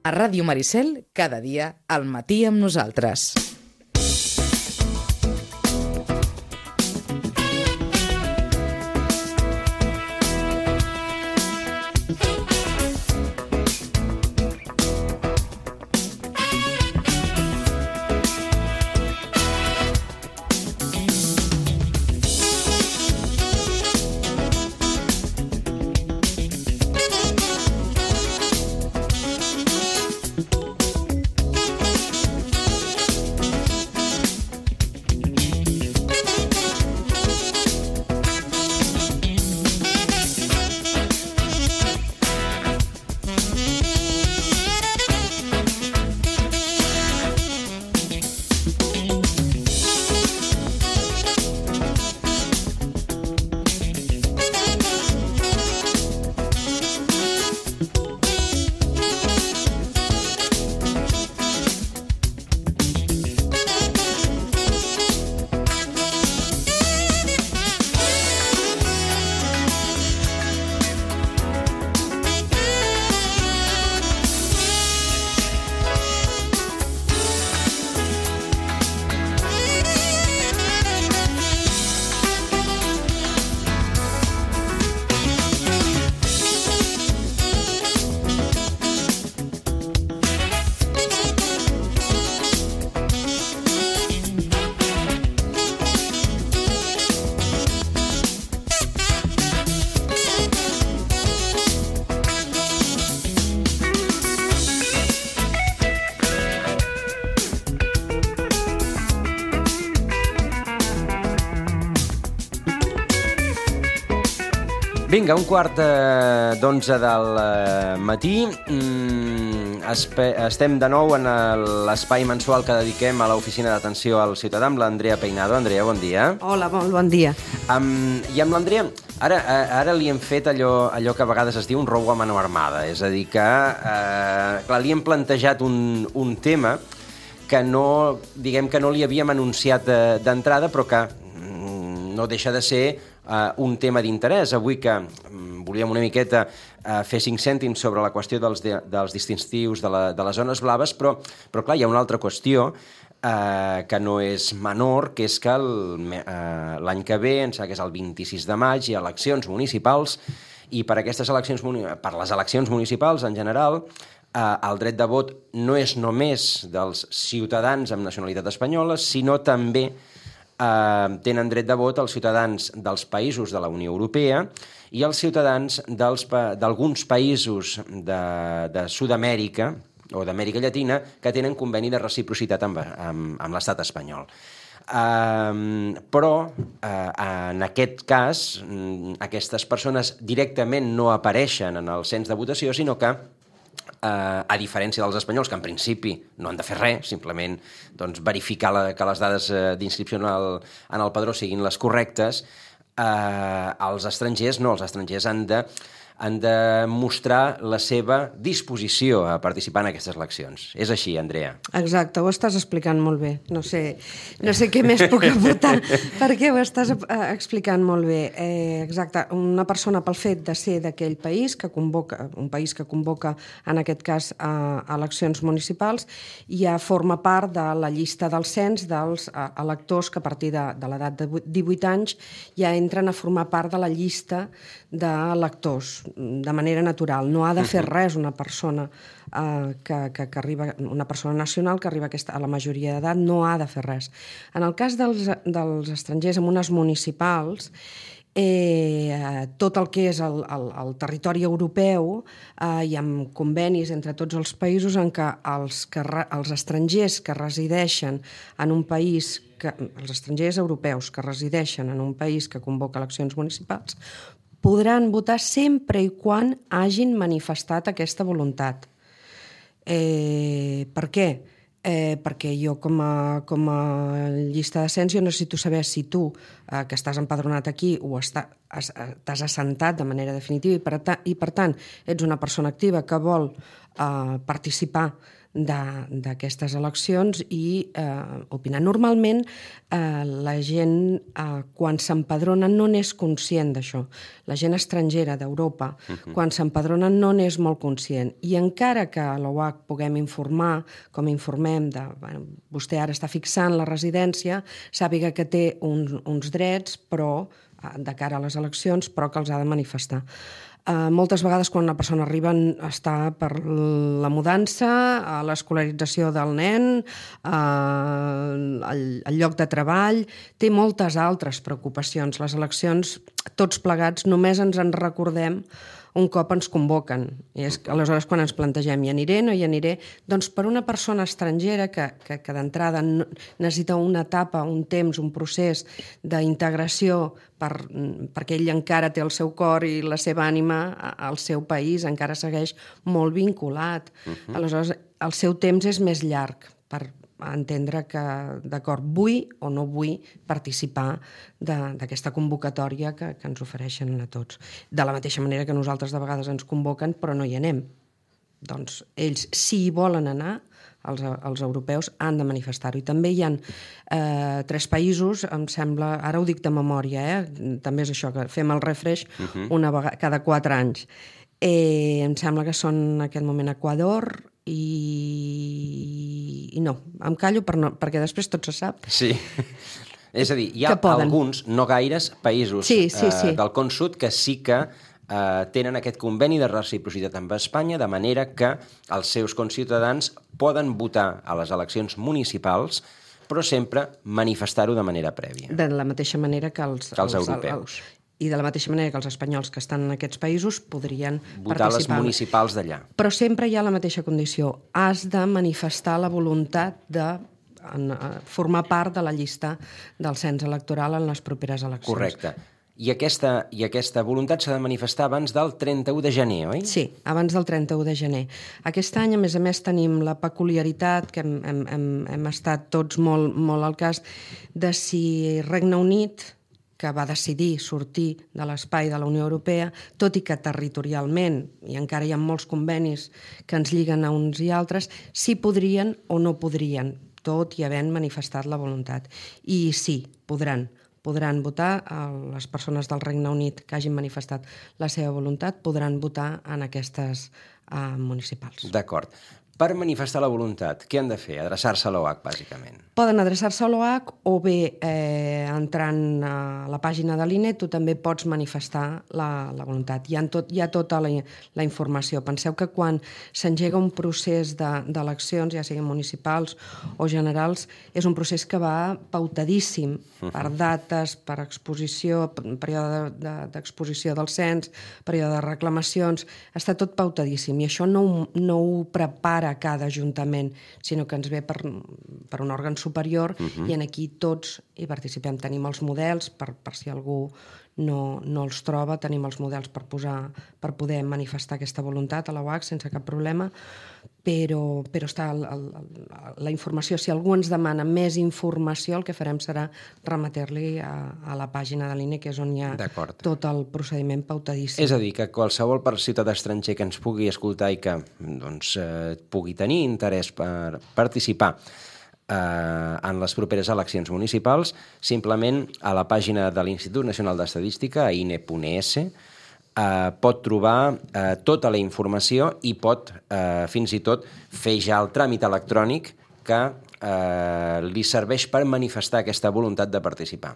A Ràdio Maricel, cada dia, al matí amb nosaltres. Vinga, 11:15 del matí. Estem de nou en l'espai mensual que dediquem a l'Oficina d'Atenció al Ciutadà amb l'Andrea Peinado. Andrea, bon dia. Hola, bon dia. I amb l'Andrea, ara li hem fet allò que a vegades es diu un robo a mano armada. És a dir, que clar, li hem plantejat un tema que no li havíem anunciat d'entrada, però que no deixa de ser un tema d'interès. Avui que volíem una miqueta fer 5 cèntims sobre la qüestió dels distintius de les zones blaves, però clar, hi ha una altra qüestió que no és menor, que és que l'any que ve, em sembla que és el 26 de maig, hi ha eleccions municipals, i per les eleccions municipals en general, el dret de vot no és només dels ciutadans amb nacionalitat espanyola, sinó també tenen dret de vot els ciutadans dels països de la Unió Europea i els ciutadans d'alguns països de Sud-amèrica o d'Amèrica Llatina que tenen conveni de reciprocitat amb l'estat espanyol. Però, en aquest cas, aquestes persones directament no apareixen en el cens de votació, sinó que a diferència dels espanyols, que en principi no han de fer res, simplement verificar que les dades d'inscripció en el padró siguin les correctes, els estrangers no, els estrangers han de mostrar la seva disposició a participar en aquestes eleccions. És així, Andrea? Exacte, ho estàs explicant molt bé. No sé què més puc aportar, perquè ho estàs explicant molt bé. Exacte, una persona pel fet de ser d'aquell país, un país que convoca, en aquest cas, eleccions municipals, ja forma part de la llista del cens dels electors que a partir de l'edat de 18 anys ja entren a formar part de la llista d'electors de manera natural. No ha de fer res una persona que arriba, una persona nacional que arriba a la majoria d'edat, no ha de fer res. En el cas dels estrangers amb unes municipals, tot el que és el territori europeu hi ha convenis entre tots els països en què els estrangers que resideixen en un país, els estrangers europeus que resideixen en un país que convoca eleccions municipals podran votar sempre i quan hagin manifestat aquesta voluntat. Per què? Perquè jo com a llista de cens jo necessito saber si tu que estàs empadronat aquí o t'has assentat de manera definitiva i per tant ets una persona activa que vol participar d'aquestes eleccions i opinar. Normalment la gent quan s'empadrona no n'és conscient d'això. La gent estrangera d'Europa quan s'empadrona no n'és molt conscient i encara que a l'OAC puguem informar, com informem vostè ara està fixant la residència, sàpiga que té uns drets però de cara a les eleccions però que els ha de manifestar. Moltes vegades quan una persona arriba està per la mudança, l'escolarització del nen, el lloc de treball, té moltes altres preocupacions. Les eleccions, tots plegats, només ens en recordem un cop ens convoquen. I és aleshores quan ens plantegem hi aniré, no hi aniré, doncs per una persona estrangera que d'entrada necessita una etapa, un temps, un procés d'integració perquè ell encara té el seu cor i la seva ànima al seu país, encara segueix molt vinculat. Aleshores, el seu temps és més llarg per entendre que, d'acord, vull o no vull participar d'aquesta convocatòria que ens ofereixen a tots. De la mateixa manera que nosaltres de vegades ens convoquen però no hi anem. Doncs ells, si hi volen anar, els europeus han de manifestar-ho. I també hi ha 3 països, em sembla, ara ho dic de memòria, també és això, que fem el refresh una vegada cada 4 anys. Em sembla que són en aquest moment Equador i no, em callo perquè després tot se sap. Sí, és a dir, hi ha alguns, no gaires, països del Con Sud que sí que tenen aquest conveni de reciprocitat amb Espanya, de manera que els seus conciutadans poden votar a les eleccions municipals, però sempre manifestar-ho de manera prèvia. De la mateixa manera que els europeus. I de la mateixa manera que els espanyols que estan en aquests països podrien votar les municipals d'allà. Però sempre hi ha la mateixa condició. Has de manifestar la voluntat de formar part de la llista del cens electoral en les properes eleccions. Correcte. I aquesta voluntat s'ha de manifestar abans del 31 de gener, oi? Sí, abans del 31 de gener. Aquest any, a més, tenim la peculiaritat, que hem estat tots molt al cas, de si Regne Unit, que va decidir sortir de l'espai de la Unió Europea, tot i que territorialment, i encara hi ha molts convenis que ens lliguen a uns i altres, si podrien o no podrien, tot i havent manifestat la voluntat. I sí, podran votar, les persones del Regne Unit que hagin manifestat la seva voluntat podran votar en aquestes municipals. D'acord. Per manifestar la voluntat, què han de fer? Adreçar-se a l'OAC, bàsicament. Poden adreçar-se a l'OAC o bé entrant a la pàgina de l'INE tu també pots manifestar la voluntat. Hi ha tota la informació. Penseu que quan s'engega un procés d'eleccions, ja siguin municipals o generals, és un procés que va pautadíssim per dates, per exposició, període d'exposició del cens, període de reclamacions, està tot pautadíssim i això no ho prepara a cada ajuntament, sinó que ens ve per un òrgan superior i en aquí tots hi participem. Tenim els models, per si algú no els troba, tenim els models per poder manifestar aquesta voluntat a la UAC sense cap problema, però està la informació. Si algú ens demana més informació, el que farem serà remetre-li a la pàgina de l'INE, que és on hi ha tot el procediment pautadíssim. És a dir, que qualsevol ciutadà estranger que ens pugui escoltar i que pugui tenir interès per participar en les properes eleccions municipals, simplement a la pàgina de l'Institut Nacional d'Estadística, a ine.es, pot trobar tota la informació i pot fins i tot fer ja el tràmit electrònic que li serveix per manifestar aquesta voluntat de participar.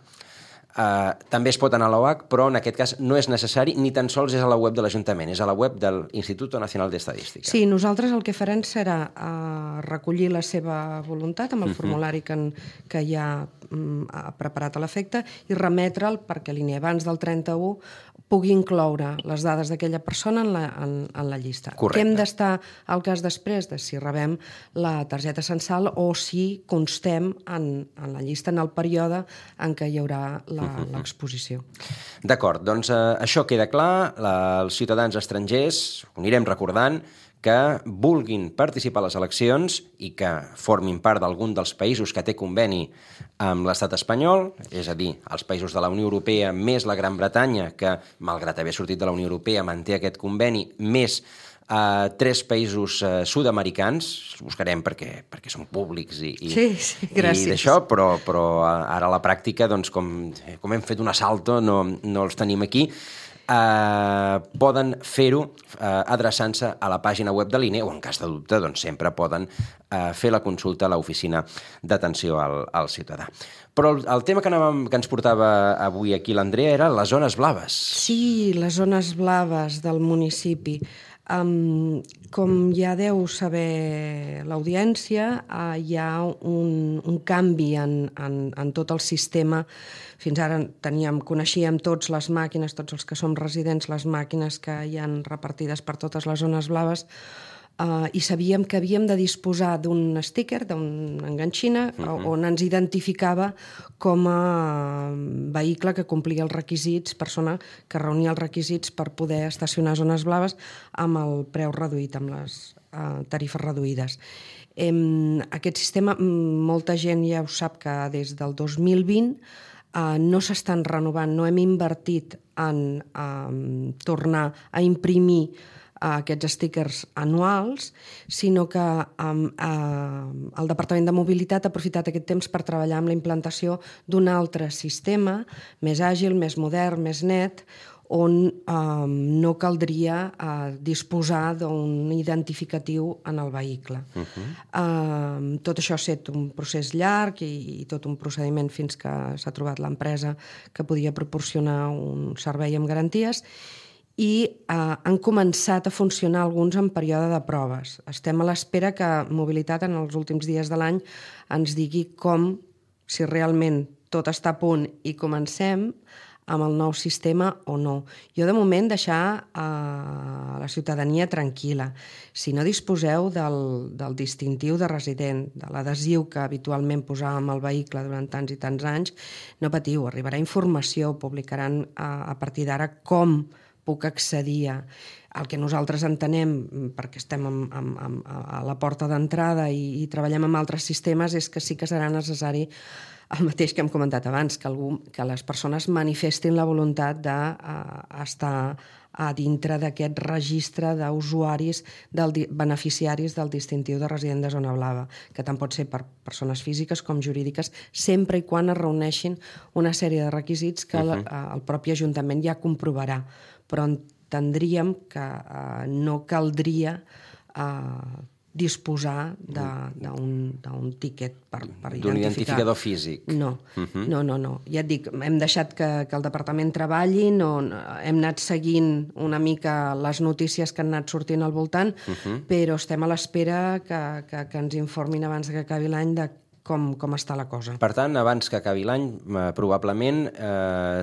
També es pot anar a l'OAC, però en aquest cas no és necessari, ni tan sols és a la web de l'Ajuntament, és a la web de l'Institut Nacional d'Estadística. Sí, nosaltres el que farem serà recollir la seva voluntat amb el formulari que ja ha preparat a l'efecte i remetre'l perquè l'INE abans del 31 pugui incloure les dades d'aquella persona en la llista. Correcte. Què hem d'estar al cas després de si rebem la targeta censal o si constem en la llista en el període en què hi haurà l'exposició. D'acord, doncs això queda clar. Els ciutadans estrangers, ho anirem recordant, que vulguin participar a les eleccions i que formin part d'algun dels països que té conveni amb l'estat espanyol, és a dir, els països de la Unió Europea més la Gran Bretanya, que, malgrat haver sortit de la Unió Europea, manté aquest conveni, més 3 països sud-americans, els buscarem perquè són públics i d'això, però ara a la pràctica, doncs, com hem fet un assalto, no els tenim aquí, poden fer-ho adreçant-se a la pàgina web de l'INE o, en cas de dubte, doncs, sempre poden fer la consulta a l'oficina d'atenció al ciutadà. Però el tema que ens portava avui aquí l'Andrea era les zones blaves. Sí, les zones blaves del municipi. Com ja deu saber l'audiència, hi ha un canvi en tot el sistema. Fins ara coneixíem tots les màquines, tots els que som residents, les màquines que hi han repartides per totes les zones blaves, i sabíem que havíem de disposar d'un sticker, d'una enganxina, on ens identificava com a vehicle que complia els requisits, persona que reunia els requisits per poder estacionar a zones blaves amb el preu reduït, amb les tarifes reduïdes. Aquest sistema, molta gent ja ho sap que des del 2020 no s'estan renovant, no hem invertit en tornar a imprimir aquests stickers anuals, sinó que el Departament de Mobilitat ha aprofitat aquest temps per treballar amb la implantació d'un altre sistema, més àgil, més modern, més net, on no caldria disposar d'un identificatiu en el vehicle. Tot això ha estat un procés llarg i tot un procediment fins que s'ha trobat l'empresa que podia proporcionar un servei amb garanties, i han començat a funcionar alguns en període de proves. Estem a l'espera que Mobilitat en els últims dies de l'any ens digui si realment tot està a punt i comencem amb el nou sistema o no. Jo, de moment, deixar la ciutadania tranquil·la. Si no disposeu del distintiu de resident, de l'adhesiu que habitualment posàvem al vehicle durant tants i tants anys, no patiu, arribarà informació, publicaran a partir d'ara com puc accedir al que nosaltres entenem, perquè estem a la porta d'entrada i treballem amb altres sistemes, és que sí que serà necessari el mateix que hem comentat abans, que les persones manifestin la voluntat d'estar a dintre d'aquest registre d'usuaris, beneficiaris del distintiu de resident de zona blava, que tant pot ser per persones físiques com jurídiques, sempre i quan es reuneixin una sèrie de requisits que el propi Ajuntament ja comprovarà. Però entendríem que no caldria disposar d'un tiquet per identificar. D'un identificador físic. No. Ja et dic, hem deixat que el departament treballi, hem anat seguint una mica les notícies que han anat sortint al voltant, però estem a l'espera que ens informin abans que acabi l'any de com està la cosa. Per tant, abans que acabi l'any, probablement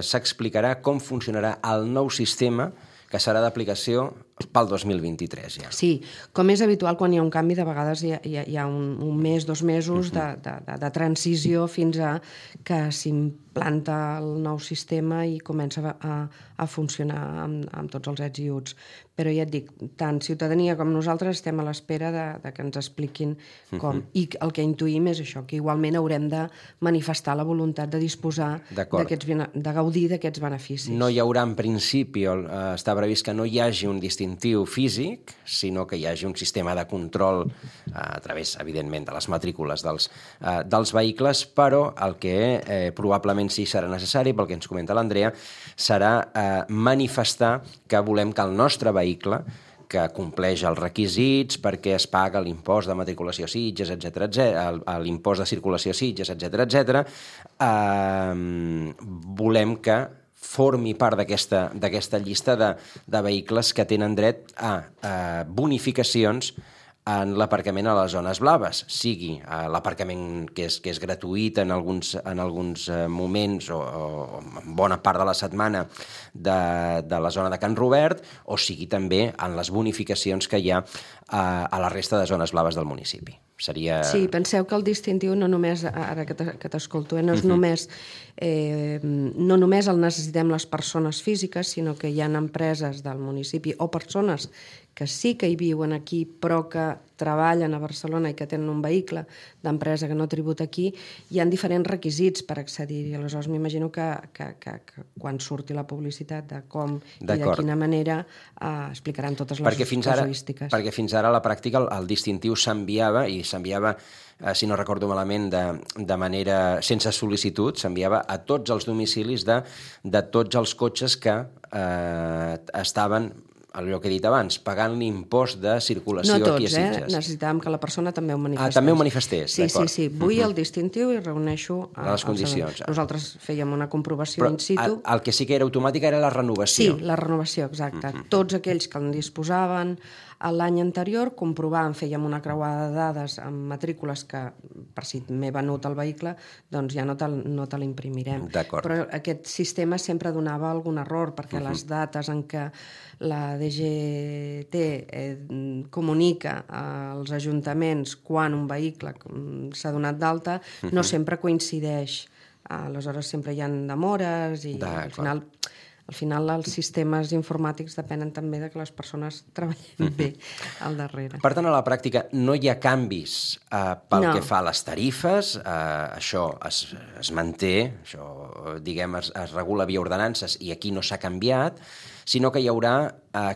s'explicarà com funcionarà el nou sistema que serà d'aplicació pel 2023 ja. Sí, com és habitual quan hi ha un canvi, de vegades hi ha un mes, 2 mesos de transició fins a que s'implanta el nou sistema i comença a funcionar amb tots els ets i uts. Però ja et dic, tant ciutadania com nosaltres estem a l'espera que ens expliquin com. I el que intuïm és això, que igualment haurem de manifestar la voluntat de disposar de gaudir d'aquests beneficis. No hi haurà en principi, està previst que no hi hagi un distintiu físic, sinó que hi hagi un sistema de control a través, evidentment, de les matrícules dels vehicles, però el que probablement sí serà necessari, pel que ens comenta l'Andrea, serà manifestar que volem que el nostre vehicle, que compleix els requisits perquè es paga l'impost de matriculació a Sitges, l'impost de circulació a Sitges, etc., volem que formi part d'aquesta llista de vehicles que tenen dret a bonificacions en l'aparcament a les zones blaves, sigui l'aparcament que és gratuït en alguns moments o en bona part de la setmana de la zona de Can Robert, o sigui també en les bonificacions que hi ha a la resta de zones blaves del municipi. Sí, penseu que el distintiu no només, ara que t'escolto, no només el necessitem les persones físiques, sinó que hi ha empreses del municipi o persones que sí que hi viuen aquí, però que treballen a Barcelona i que tenen un vehicle d'empresa que no tributa aquí, hi ha diferents requisits per accedir-hi. Aleshores, m'imagino que quan surti la publicitat de com i de quina manera explicaran totes les casuístiques. Perquè fins ara a la pràctica el distintiu s'enviava, i s'enviava, si no recordo malament, de manera sense sol·licitud, s'enviava a tots els domicilis de tots els cotxes que estaven, allò que he dit abans, pagant l'impost de circulació aquí a Sitges. No tots, necessitàvem que la persona també ho manifestés. També ho manifestés, d'acord. Sí, vull el distintiu i reuneixo les condicions. Nosaltres fèiem una comprovació in situ. El que sí que era automàtic era la renovació. Sí, la renovació, exacte. Tots aquells que en disposaven l'any anterior comprovaven, fèiem una creuada de dades amb matrícules que, per si m'he venut el vehicle, doncs ja no te l'imprimirem. Però aquest sistema sempre donava algun error, perquè les dates en què la DGT comunica als ajuntaments quan un vehicle s'ha donat d'alta no sempre coincideix. Aleshores sempre hi ha demores i al final els sistemes informàtics depenen també de que les persones treballin bé al darrere. Per tant, a la pràctica no hi ha canvis pel que fa a les tarifes, això es manté, això diguem es regula via ordenances i aquí no s'ha canviat, sinó que hi haurà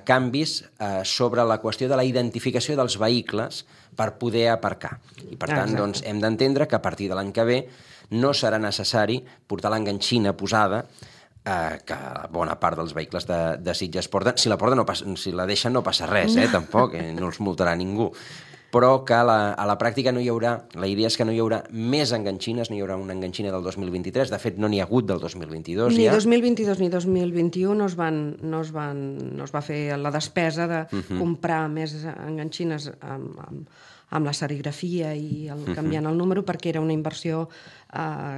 canvis sobre la qüestió de la identificació dels vehicles per poder aparcar. I per tant, doncs, hem d'entendre que a partir de l'any que ve no serà necessari portar l'enganxina posada que bona part dels vehicles de Sitges porten. Si la deixen no passa res, tampoc, no els multarà ningú. Però que a la pràctica no hi haurà, la idea és que no hi haurà més enganxines, no hi haurà una enganxina del 2023, de fet no n'hi ha hagut del 2022 ja. Ni 2022 ni 2021 no es va fer la despesa de comprar més enganxines amb la serigrafia i canviant el número, perquè era una inversió...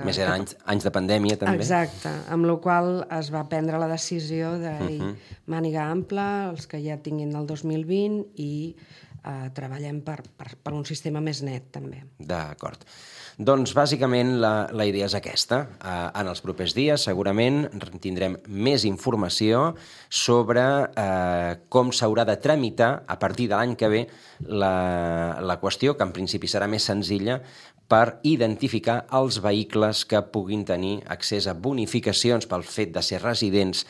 Més eren anys de pandèmia, també. Exacte, amb la qual es va prendre la decisió de màniga ampla, els que ja tinguin el 2020, i treballem per un sistema més net, també. D'acord. Doncs, bàsicament, la idea és aquesta. En els propers dies, segurament, tindrem més informació sobre com s'haurà de tramitar, a partir de l'any que ve, la qüestió, que en principi serà més senzilla, per identificar els vehicles que puguin tenir accés a bonificacions pel fet de ser residents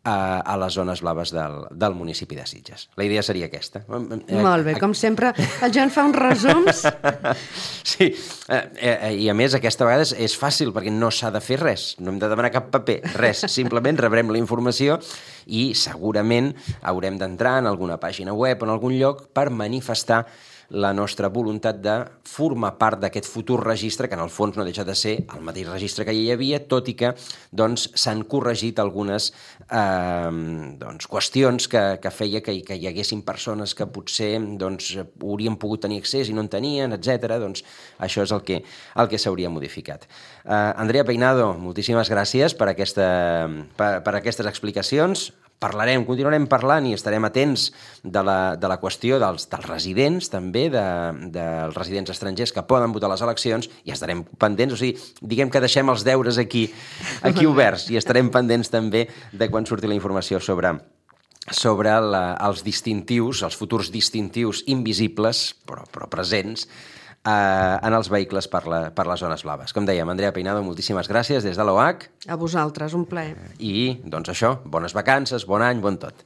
a les zones blaves del municipi de Sitges. La idea seria aquesta. Molt bé, com sempre, el Joan fa uns resums. Sí, i a més aquesta vegada és fàcil perquè no s'ha de fer res, no hem de demanar cap paper, res, simplement rebrem la informació i segurament haurem d'entrar en alguna pàgina web o en algun lloc per manifestar la nostra voluntat de formar part d'aquest futur registre, que en el fons no deixa de ser el mateix registre que ja hi havia, tot i que s'han corregit algunes qüestions que feia que hi haguessin persones que potser haurien pogut tenir accés i no en tenien, etc. Doncs això és el que s'hauria modificat. Andrea Peinado, moltíssimes gràcies per aquestes explicacions. Continuarem parlant i estarem atents de la qüestió dels residents, també, dels residents estrangers que poden votar a les eleccions, i estarem pendents, o sigui, diguem que deixem els deures aquí oberts, i estarem pendents també de quan surti la informació sobre els distintius, els futurs distintius invisibles, però presents, en els vehicles per les zones blaves. Com dèiem, Andrea Peinado, moltíssimes gràcies des de l'OH. A vosaltres, un plaer. I, doncs això, bones vacances, bon any, bon tot.